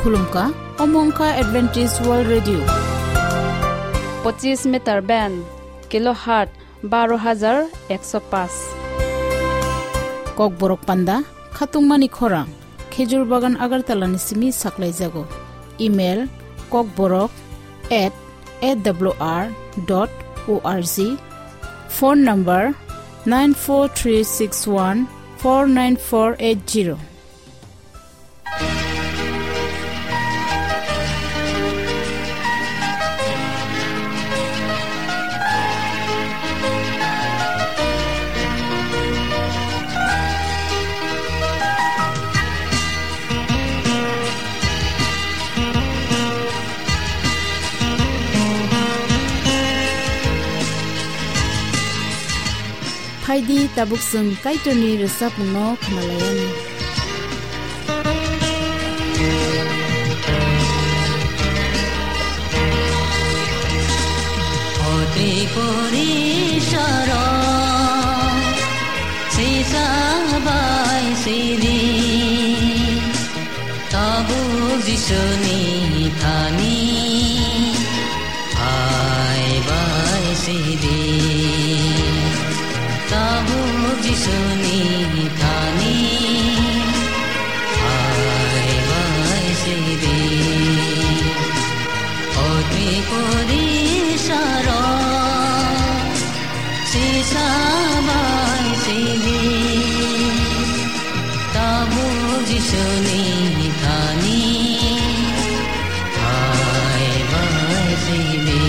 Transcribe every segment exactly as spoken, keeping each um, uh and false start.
Khulumkha, omo wngkha Adventist World Radio. Pochis meter band, kilohertz baro hajar ekso paanch. Kokborok panda, khatungmani khorang, Khejur Bagan Agartala ni simi saklaijago. Email, kokborok at A W R dot O R G. Phone number, nine four three six one four nine four eight zero. Phaidi, tabuk chwng Kaitorni rwchapmungno khwnalaiyani. O Tripuri saro, sisa bai sidi. Tabuk Jisuni thani hai bai sidi. Tabuk Jisuni thani hai bai sidi. O Tripuri saro, sisa bai sidi. Tabuk Jisuni thani hai bai sidi.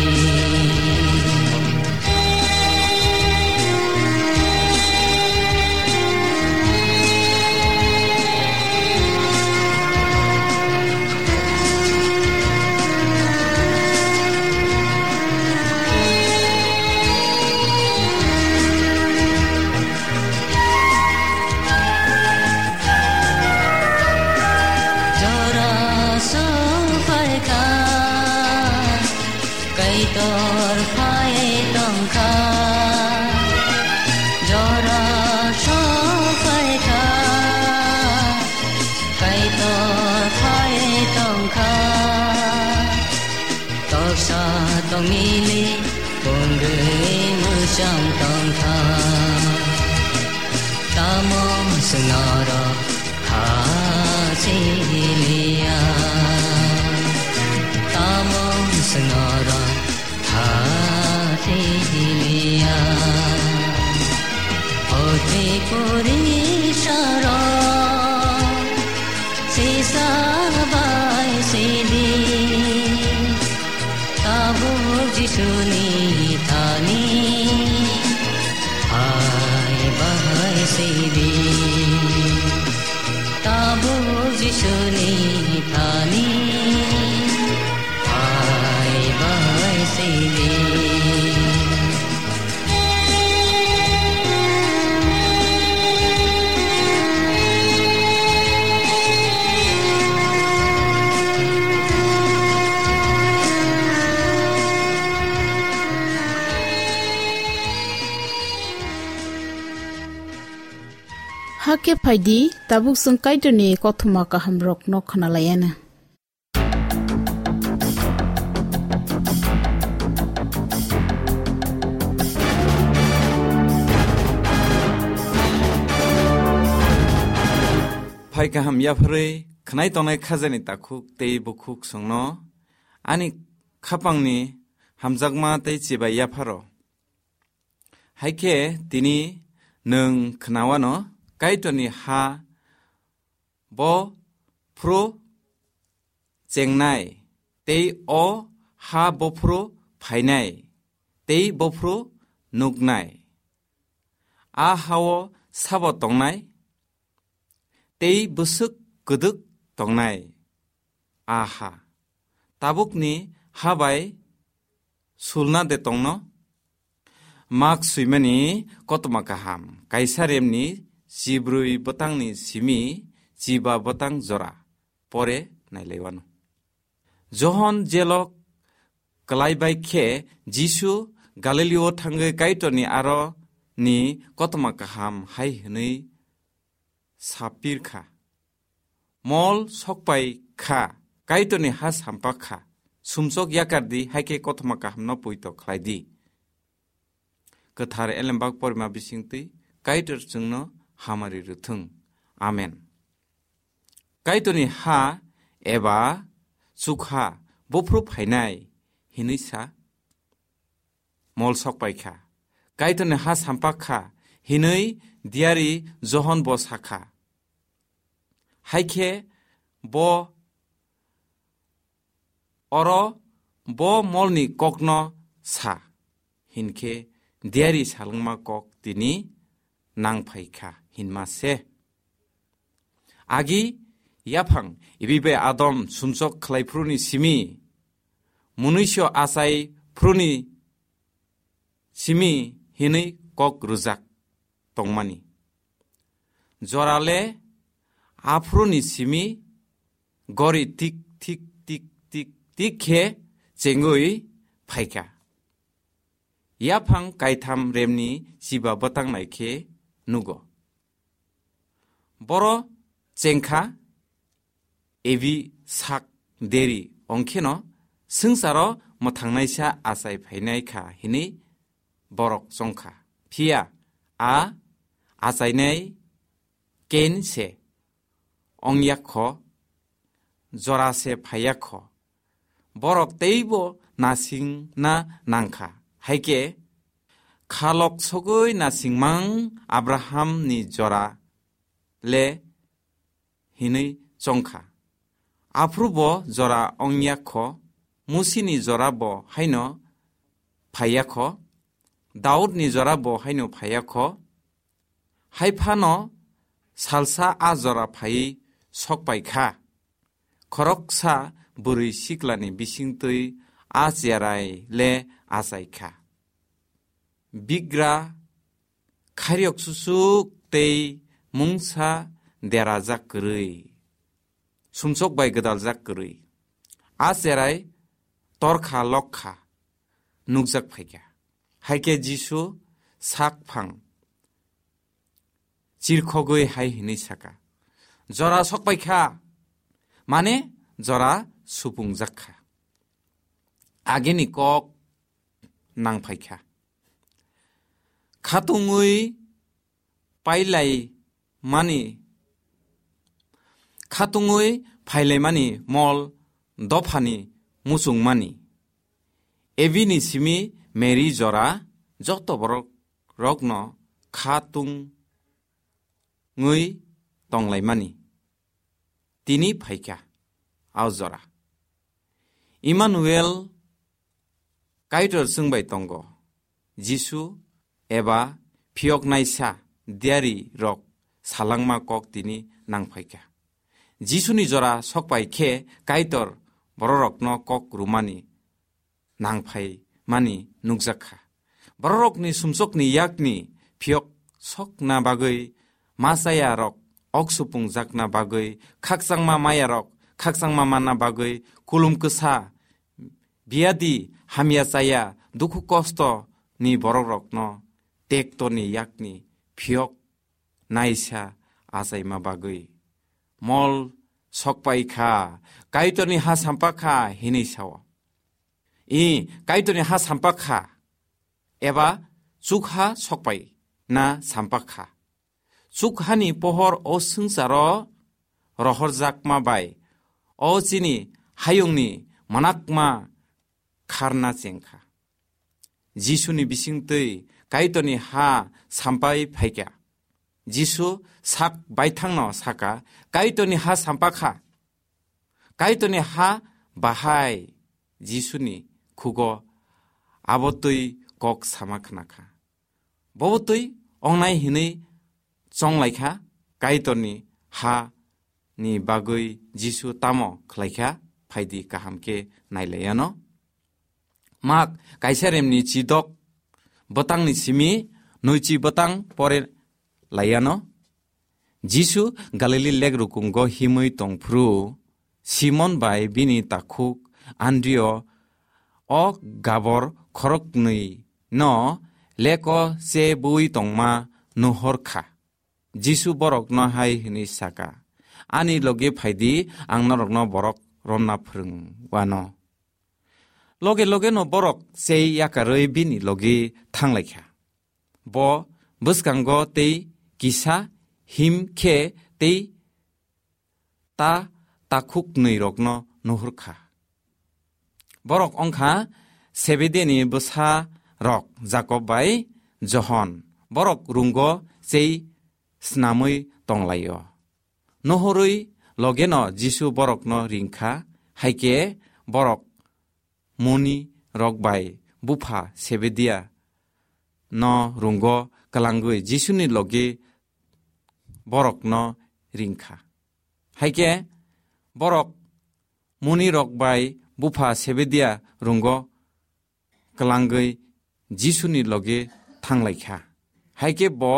Jora sophaikha, Kaitor phai tongkha. Jora sophaikha, Kaitor phai tongkha. Toksa tongmili pungwi mwchang tongkha. Tamo swnoro ha siliya. Tamo swnoro ha siliya. O Tripuri saro, sisa bai sidi. Tabuk Jisuni thani hai bai sidi. Tabuk Jisuni thani hai bai sidi. Hakhe phaidi, tabuk chwng Kaitorni kothoma kahamrokno khwnalaiyana. Phai kaham yapharwi khwnai tongnai khajani takhuk tei bukhuk chwngno ani khapangni hamjakma tei chibai yapharo. Hai khe tini nwng khwnawano Kaitorni ha bo phuru chengnai, tei o ha bophuru phainai, tei bophuru nuknai. A hao sabo tongnai, tei bwswk kwdwk tongnai a ha. Tabukni ha bai sulna de tongno? Mak swimani kothoma kaham, kaisa remni chibrwi bwtangni simi chiba bwtang jora pore nailaiwano. Johon jelok kwlai bai khe Jisu Galilio thangwi Kaitorni aro ni kothoma kaham hai hwnwi sapir kha. Mol sokpai kha, Kaitorni ha sampak kha. Sumsok yakar di, hai khe kothoma kahamno poito khlai di. Kwthar elembak porima bisingtwi Kaitor chwngno hamari rwthwng. Amen. Kaitorni ha eba chukha buphuru phainai hinwi sa mol sok pai kha. Kaitorni ha sampak kha hinwi diari Johon bo sa kha. Hai khe bo oro bo molni kokno sa, hinkhe diari salwngma kok tini nang phai kha hinma se. Agi yaphang Evi bai Adam sumsok khlai phuruni simi, munuiso achai phuruni simi hinwi kok rwjak tongmani. Jorale aphuruni simi gori tik, tik, tik, tik, tik khe chengwi phaikha. Yaphang kaitham remni chiba bwtang nai khe nugo. Boro chengkha, Evi sak deri ongkheno swngcharo mwthangnaisa achai phainai kha hinwi borok chongkha. Phiya a achainai Kain se ongya kho, jora se phaiya kho. Borok teibo nasingna nangkha. Hai khe khalok sogwi nasingmang Abrahamni jora le hinwi chongkha. Aphuru bo jora ongya kho, Musini jora bo haino phaiya kho, Daudni jora bo haino phaiya kho. Hai phano salsa a jora phaiwi sok pai kha. Khoroksa bwrwi siklani bisingtwi a cherai le achai kha. Bigra khairok susuk tei mungsa derajak kwrwi, sumsok bai gwdaljak kwrwi. A cherai torkha lokha nukjak phaikha. Hai khe Jisu sak phang chirkhogwi hai hwnwi saka, "Jora sok pai kha, mane jora supungjak kha." Agini kok nang phai kha. Khatungwi pailai mani, khatungwi phailaimani mol dophani muchungmani. Evini simi Mary jora joto borok rokno khatungwi tonglaimani. Tini phaikha a jora. Emmanuel Kaitor chwngbai tongo. Jisu eba phiyoknaisa diari rok salangma kok tini nangphaikha. Jisuni jora sokpai khe Kaitor bororokno kok rumani nangphai mani nukjak kha. Bororokni sumsokni yakni phiyok sokna bagwi, ma chaya rok ok supung jakna bagwi, khakchangma maya rok khakchangma manna bagwi, kulum kwsa, biadi, hamya chaya, dukhu kosto ni borok rokno tekto ni yakni phiyok naisa achaima bagwi mol sokpai kha, Kaitorni ha sampa kha hinwi sao. I, Kaitorni ha sampa kha, eba chukha sokpai na sampa kha. Chukhani pohor o swngcharo rohorjakma bai o chini hayungni manakma kharna chengkha. Jisuni bisingtwi Kaitorni ha sampai phaikha. Jisu sak baithangno saka, "Kaitorni ha sampa kha." Kaitorni ha bahai Jisuni khugo abo twi kok sama khna kha. Bobo twi ongnai hinwi chonglaikha, Kaitorni ha ni bagwi Jisu tamo khlaikha, phaidi kaham khe nailaiano. Mak kaisa remni chidok bwtangni simi nwichi bwtang pore laiano. Jisu Galili lek rukungo himwi tongphuru, Simon bai bini takhuk Andrio o gabor khoroknwi no leko che bui tongma nuhor kha. Jisu borokno hai hwnwi saka, "Ani logi phaidi, ang norokno borok romna phrwng wano. Loge loge no borok chei yakarwi bini logi thanglaikha. Bo bwskango tei kisa him khe tei ta takhuk nwi rokno nuhur kha. Borok wngkha Sebedeni bwsa rok Jakob bai Johon. Borok rungo chei snamwi tonglaio. Nuhurwi logeno Jisu borokno ringkha, hai khe borok muni rok bai bupha Sebedia no rungo kwlangwi Jisuni logi borokno ringkha. Hai khe borok muni rok bai bupha Sebedia rungo kwlangwi Jisuni logi thanglaikha. Hai khe bo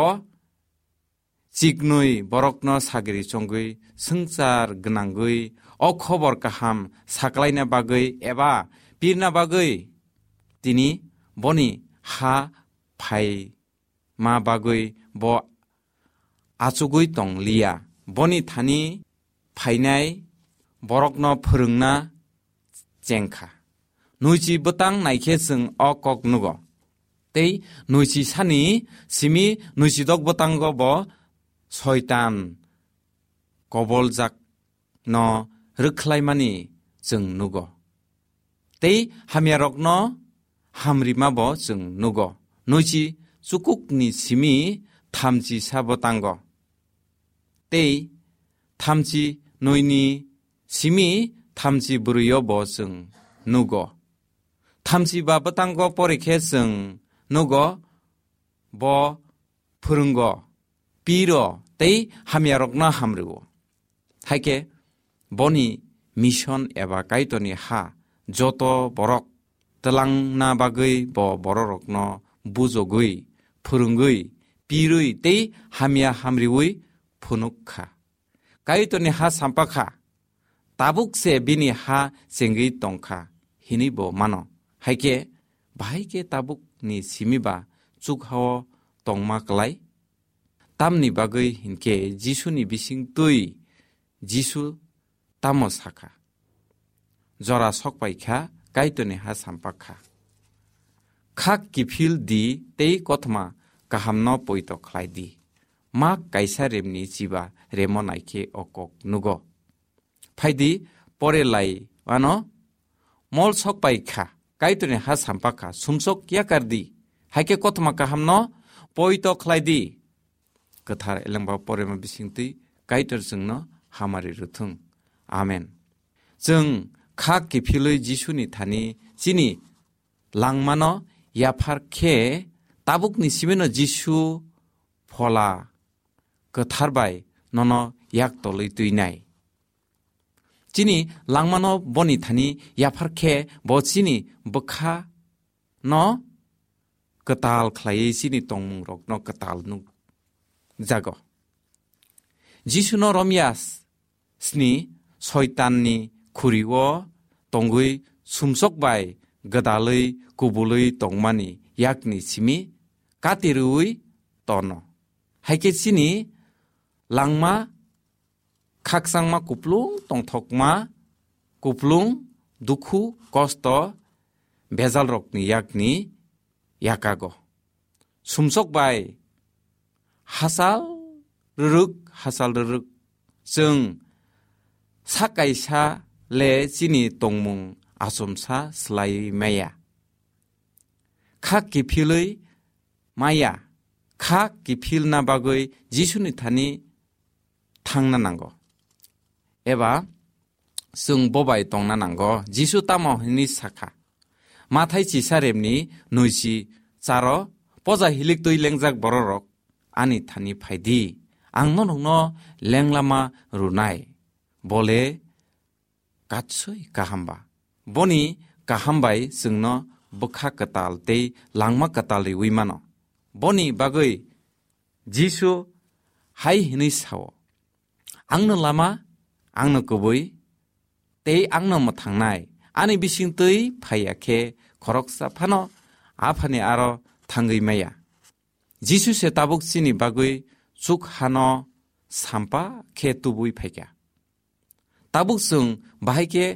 chiknwi borokno sagri chongwi swngchar gwnangwi o khobor kaham saklaina bagwi eba pirna bagwi tini boni ha phai ma bagwi bo achugwi tong liya. Boni thani phainai borokno phwrwngna chengkha. Nuichi bwtang naikhe chwng o kok nugo. Tei nuichi sani simi nuichidok bwtango bo Soitan koboljak no rwkhlaimani chwng nugo. Tei hamyarokno hamrima bo chwng nugo. Nuichi chukukni simi thamchi sa bwtango. Tei thamchi nuini simi thamchi bwrwio bo chwng nugo. Thamchi ba bwtango porikhe chwng nugo bo phwrwngo, piro tei hamyarokno hamrwo. Hai khe boni mission eba Kaitorni ha joto borok twlangna bagwi bo bororokno bujogwi, phwrwngwi, pirwi tei hamya hamriwi phunuk kha. Kaitorni ha sampa kha, tabuk se bini ha chengwi tong kha hinwi bo mano. Hai khe bahai khe tabukni simi ba chukhao tongma klai? Tamni bagwi hinkhe Jisuni bising twi Jisu tamo sakha? Jora sokpai kha, Kaitorni ha sampa kha. Khak kiphil di tei kothoma kahamno poito khlai di. Mak kaisa remni chiba remo naikhe o kok nugo. Phaidi pore lai ano mol sokpai kha, Kaitorni ha sampa kha, sumsok yakar di. Hai khe kothoma kahamno poito khlai di. Kwthar elengba porema bisingtwi Kaitor chwngno hamari rwthwng. Amen. Chwng kha kiphilwi Jisuni thani chini langmano yaphar khe tabukni simino Jisu Phola Kwthar bai nono yak tolwi twinai. Chini langmano boni thani yaphar khe bo chini bwkha no kwtal khlaiwi chini tongmungrokno kwtal nukjago. Jisuno romya sni Soitanni khuri-o tongwi sumsok bai gwdalwi kubulwi tongmani yakni simi kati rwui tono. Hai khe chini langma khakchangma kuplung tongthokma, kuplung dukhu kosto bejalrokni yakni yakago. Sumsok bai hachal rwrwk, hachal rwrwk chwng sa kaisa le chini tongmung achomsa slaiwi maya. Kha kiphilwi maya, kha kiphilna bagwi Jisuni thani thangna nango. Eba chwng bobai tongna nango. Jisu tamo hwnwi sakha, Mathai chisa remni nwichi charo, poja hilik twi lengjak bororok ani thani phaidi, ang norokno lenglama rwnai. Bole katsoi kaham ba. Boni kaham bai chwngno bwkha kwtal tei langma kwtal riwi mano. Boni bagwi Jisu hai hwnwi sao, "Angno lama, angno kubui, tei angno mwthangnai. Ani bisingtwi phaiya khe khoroksa phano Aphani aro thangwi maya." Jisu se tabuk chini bagwi chuk hano sampa khe tubui phaikha. Tabuk chwng bahai khe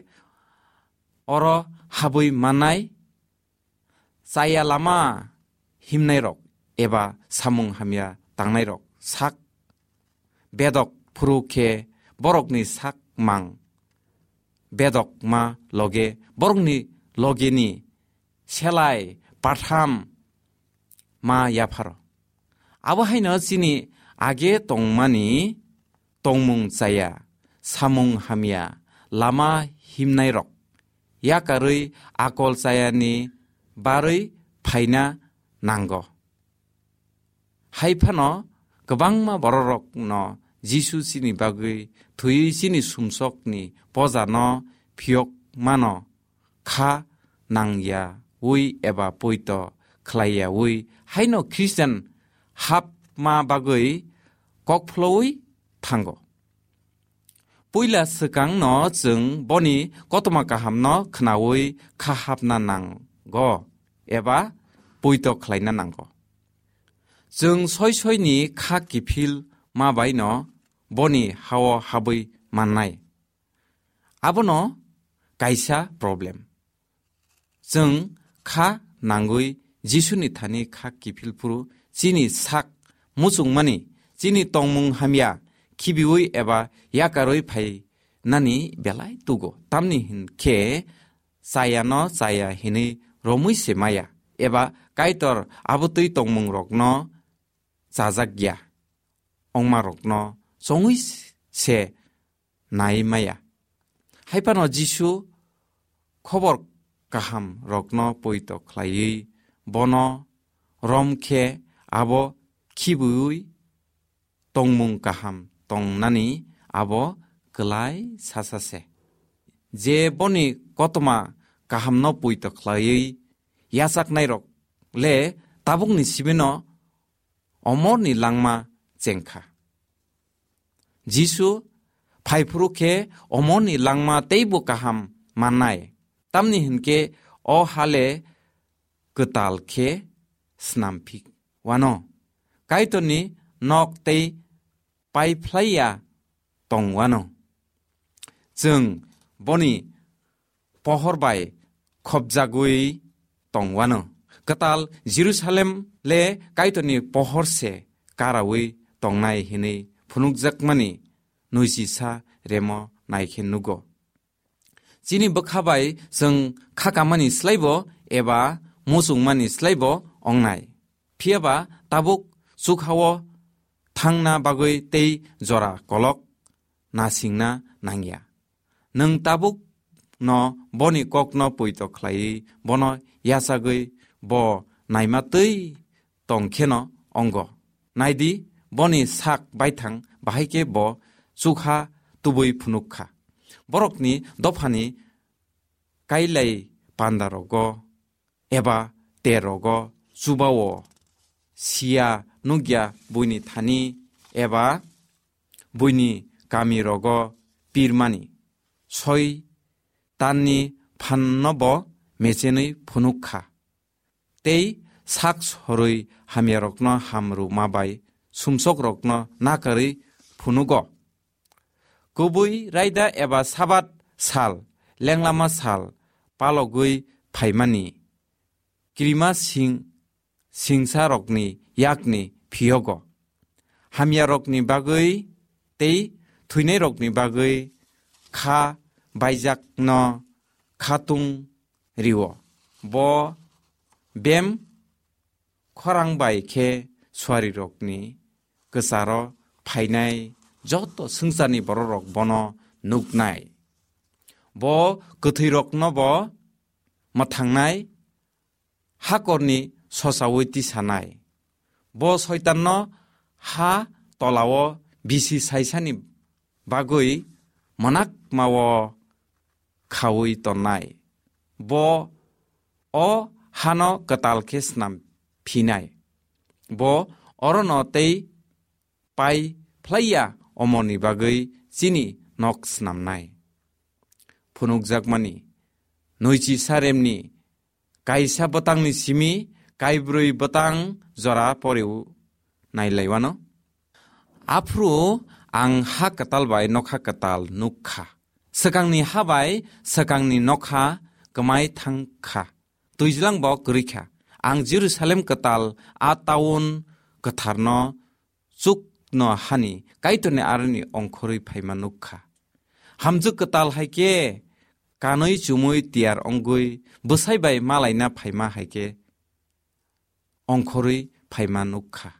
oro habwi mannai, chaya lama himnairok eba samung hamya tangnairok sak bedok phuru khe borokni sak mang bedok ma loge borokni logeni selai patham ma yapharo. Abo haino chini age tongmani tongmung chaya, samung hamya, lama himnairok yakarwi akol chayani barwi phaina nango. Hai phano kwbangma bororokno Jisu chini bagwi thwiwi chini sumsokni pojano phiyok mano kha nangyawi eba poito khlaiyawi haino Christian hapma bagwi kokphlowi thango. Puila swkangno chwng boni kothoma kahamno khnaui kha hapna nango eba poito khlaina nango. Chwng soi soini kha kiphil ma baino boni hao habwi mannai. Abono kaisa problem. Chwng kha nangwi Jisuni thani kha kiphil phuru chini sak muchungmani, chini tongmung hamya khibiui eba yakarwi phainani belai tugo. Tamni hinkhe chayano chaya hinwi romwi se maya, eba Kaitor abotwi tongmungrokno chajak ya, ongmarokno chongwi se nai maya. Hai phano Jisu khobor kaham rokno poito khlaiwi bono rom khe abo khibiui tongmung kaham tongnani abo kwlai sasa se. Je boni kothoma kahamno poito khlaiwi yachaknairok le tabukni sibino omorni langma chengkha. Jisu phaiphuru khe omorni langma teibo kaham mannai, tamni hinkhe o hale kwtal khe snamphik wano, Kaitorni nok tei paiphlaiya tong wano. Chwng boni pohor bai khopjagwi tong wano. Kwtal Jerusalem le Kaitorni pohor se karaui tongnai hinwi phunukjakmani nuichisa remo naikhe nugo. Chini bwkha bai chwng kha kamani slaibo eba muchungmani slaibo ongnai. Phiyaba tabuk chukhao thangna bagwi tei jora kolok nasingna nangya. Nwng tabuk no boni kokno poito khlaiwi bono yachagwi bo naima twi tong kheno ongo. Naidi, boni sak baithang bahai khe bo chukha tubui phunuk kha. Borokni dophani kailai pandarogo eba terogo chubao siya nukya buini thani eba buini kamirogo pirmani soi tanni phanno bo mechenwi phunuk kha. Tei sak sorwi hamyarokno ham rwma bai sumsokrokno nakarwi phunugo. Kubui raida eba Sabat sal, lenglama sal palogwi phaimani kirima sing, singsarokni yakni phiyogo. Hamyarokni bagwi tei thwinairokni bagwi kha baijakno khatung rio. Bo bem khorang bai khe suarirokni kwcharo phainai joto swngcharni bororok bono nuknai. Bo kwthwirokno bo mwthangnai, hakorni sosaui tisanai. Bo soitanno ha tolao bisi saisani bagwi mwnakmao khaui tonnai. Bo o hano kwtal khe snam phinai. Bo orono tei pai phlaiya omorni bagwi chini nok snamnai. Phunukjakmani, nuichi saremni kaisa bwtangni simi kaibrwi bwtang jora poreu nailaiwano. Aphuru ang ha kwtal bai nokha kwtal nuk kha. Swkangni ha bai swkangni nokha kwmai thang kha, twijlang bo kwrwi kha. Ang Jerusalem kwtal, a taun kwtharno chukno hani Kaitorni aroni ongkhorwi phaima nuk kha. Hamjwk kwtal hai khe kanwi chumui tiyar wngwi bwsai bai malaina phaima hai khe ongkhorwi phaima nuk kha.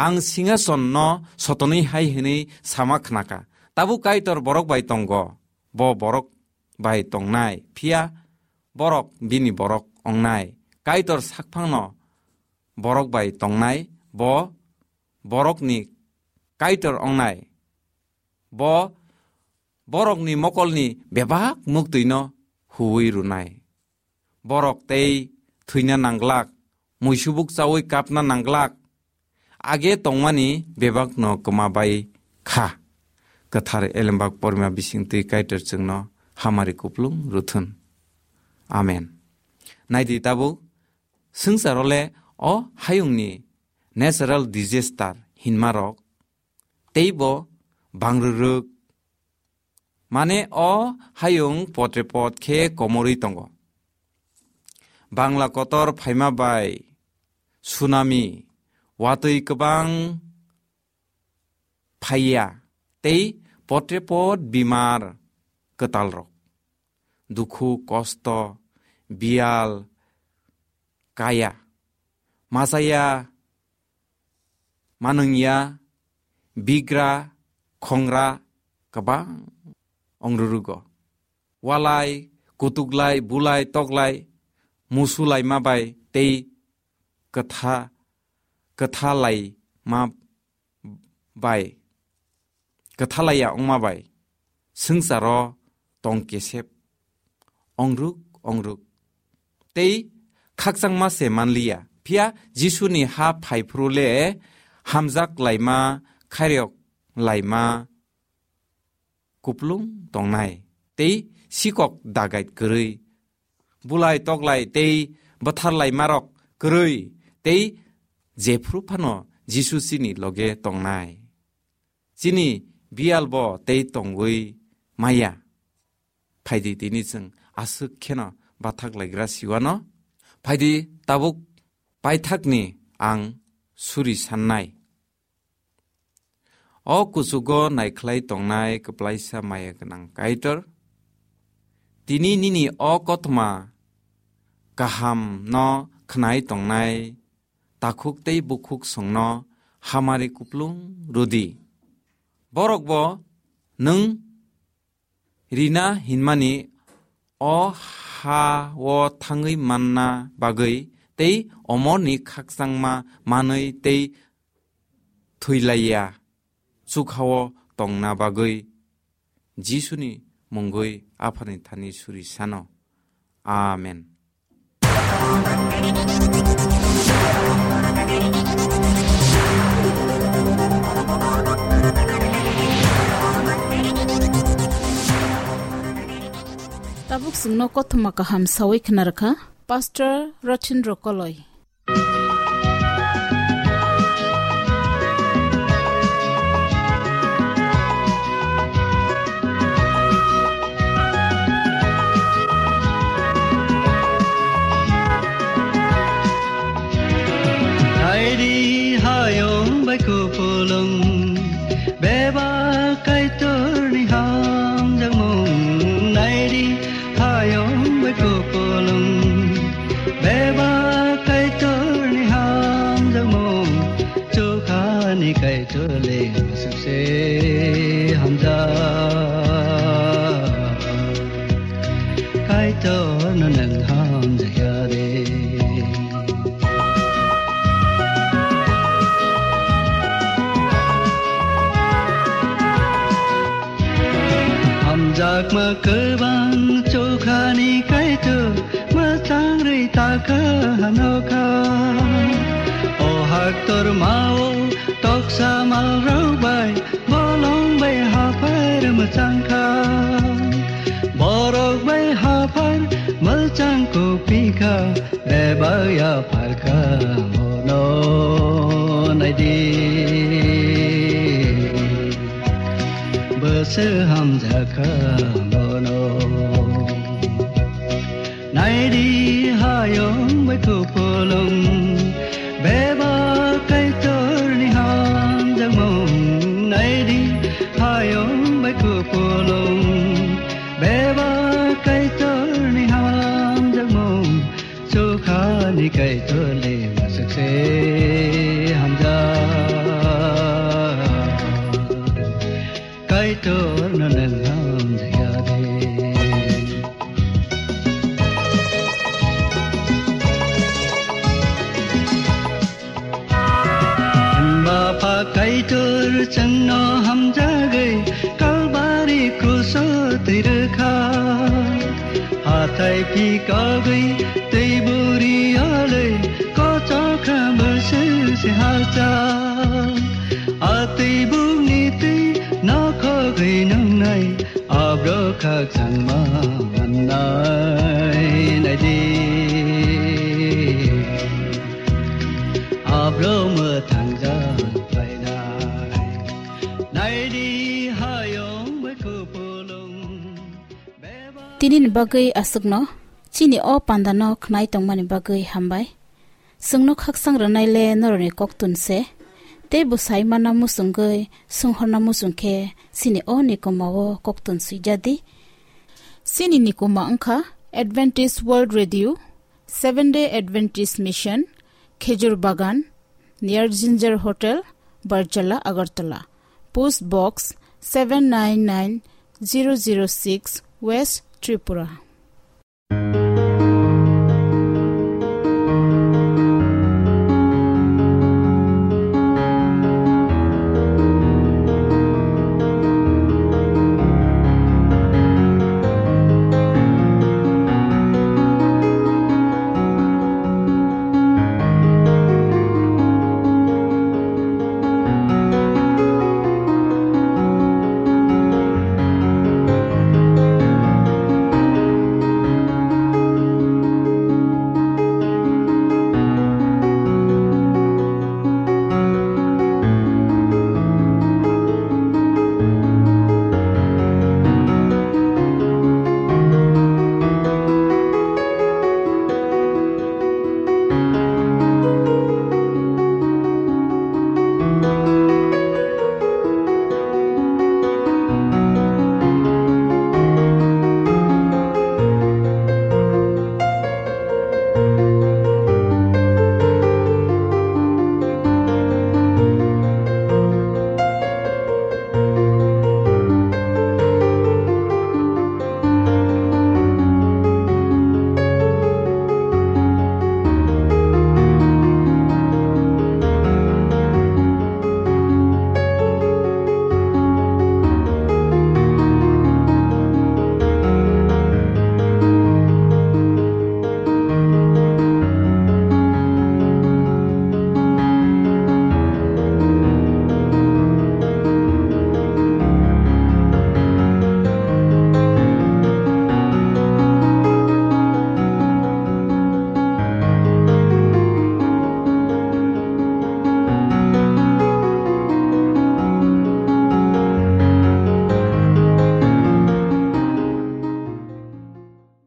Ang singasonno sotonwi hai hwnwi sama khna kha, "Tabuk Kaitor borok bai tongo, bo borok bai tongnai, phiya borok bini borok wngnai. Kaitor sakphangno borok bai tongnai, bo borokni Kaitor wngnai. Bo borokni mokolni bebak muktwino huwi rwnai. Borok tei thwina nangglak, muisubuk chaui kapna nangglak, age tongmani bebakno kwma bai kha." Kwthar Elembak porima bisingtwi Kaitor chwngno hamari kuplung rwthun. Amen. Naidi tabuk, swngcharo le o hayungni natural disaster hinmarok teibo bangrwrwk, mane o hayung potre pot khe komorwi tongo. Bangla kotor phaima bai tsunami, watwi kwbang phaiya tei potre pot bimar kwtalrok, dukhu kosto, biyal, kaya, machaya, manwngya, bigra, khongra kwbang ongrurugo. Walai, kutuklai, bulai, toklai, musulaima bai tei kwtha, kwthalaima bai, kwthalaiya wngma bai swngcharo tong kesep, ongruk ongruk tei khakchangma se manliya. Phiya Jisuni ha phaiphuru le hamjak laima, khairok laima kuplung tongnai tei sikok dagait kwrwi, bulai toklai tei bwtharlaimarok kwrwi tei jephru phano Jisu chini loge tongnai. Chini biyal bo tei tongwi maya. Phaidi tini chwng aswk kheno bathak laigra siwano. Phaidi tabuk paithakni ang suri sannai. O kuchugo naikhlai tongnai kwplaisa maya gwnang Kaitor, tini nini o kothoma kaham no khnai tongnai takhuk tei bukhuk songno hamari kuplung rwdi. Borok bo nwng rina hinmani o ha-o thangwi manna bagwi tei omorni khakchangma manwi tei thwilaiya chukha-o tongna bagwi Jisuni mungwi Aphani thani suri sano. Amen. Tabuk chwngno kothoma kaham sawi khna rwkha Pastor Rothindro Koloi. Naidi hayung bai kupulung, bebak Kaitorni hamjakmung. Naidi hayung bai kupulung, bebak Kaitorni hamjakmung. Chukhani Kaitor le sukse hamjak. Kaitorno nwng hamjakya de. Hamjakma kwbang chukhani Kaitor, mwchang rwi takha hanokha. O haktor mao toksa malrok bai, bolong bai haphar mwchang kha. Borok bai haphar mwchang kupi kha, bebak yaphar kha mono naidi. Bwswk hamjakha bo Pulung, beba Kaitorni hamjakmung naidi, hayung bai kupulung. Beba Kaitorni hamjakmung, sukhani Kaitorni masuk se hamjak. Kaitor no nang hamjak ya de. Bapha Kaitor chwngno hamjagwi Kalbari kruso twi rwkha. Hathai phikogwi twi buri alwi kochokra bwswk se halchak. A twi bukni twi nokhogwi nungnai. Abro khakchangma mannai naidi, abro mwthangjak phainai. Naidi hayung bai kupulung. Tini ni bagwi aswkno, chini o panda no khnai tongmani bagwi hambai. Chwngno khakchang rwnai le norokni koktun se, tei bwsai mana muchungwi swnghorna muchung khe chini o nikoma o koktun swijadi. Chini nikoma wngkha Adventist World Radio, Seventh Day Adventist Mission, Khejur Bagan, near Ginger Hotel, Barjala, Agartala. Post Box seven nine nine zero zero six, West Tripura.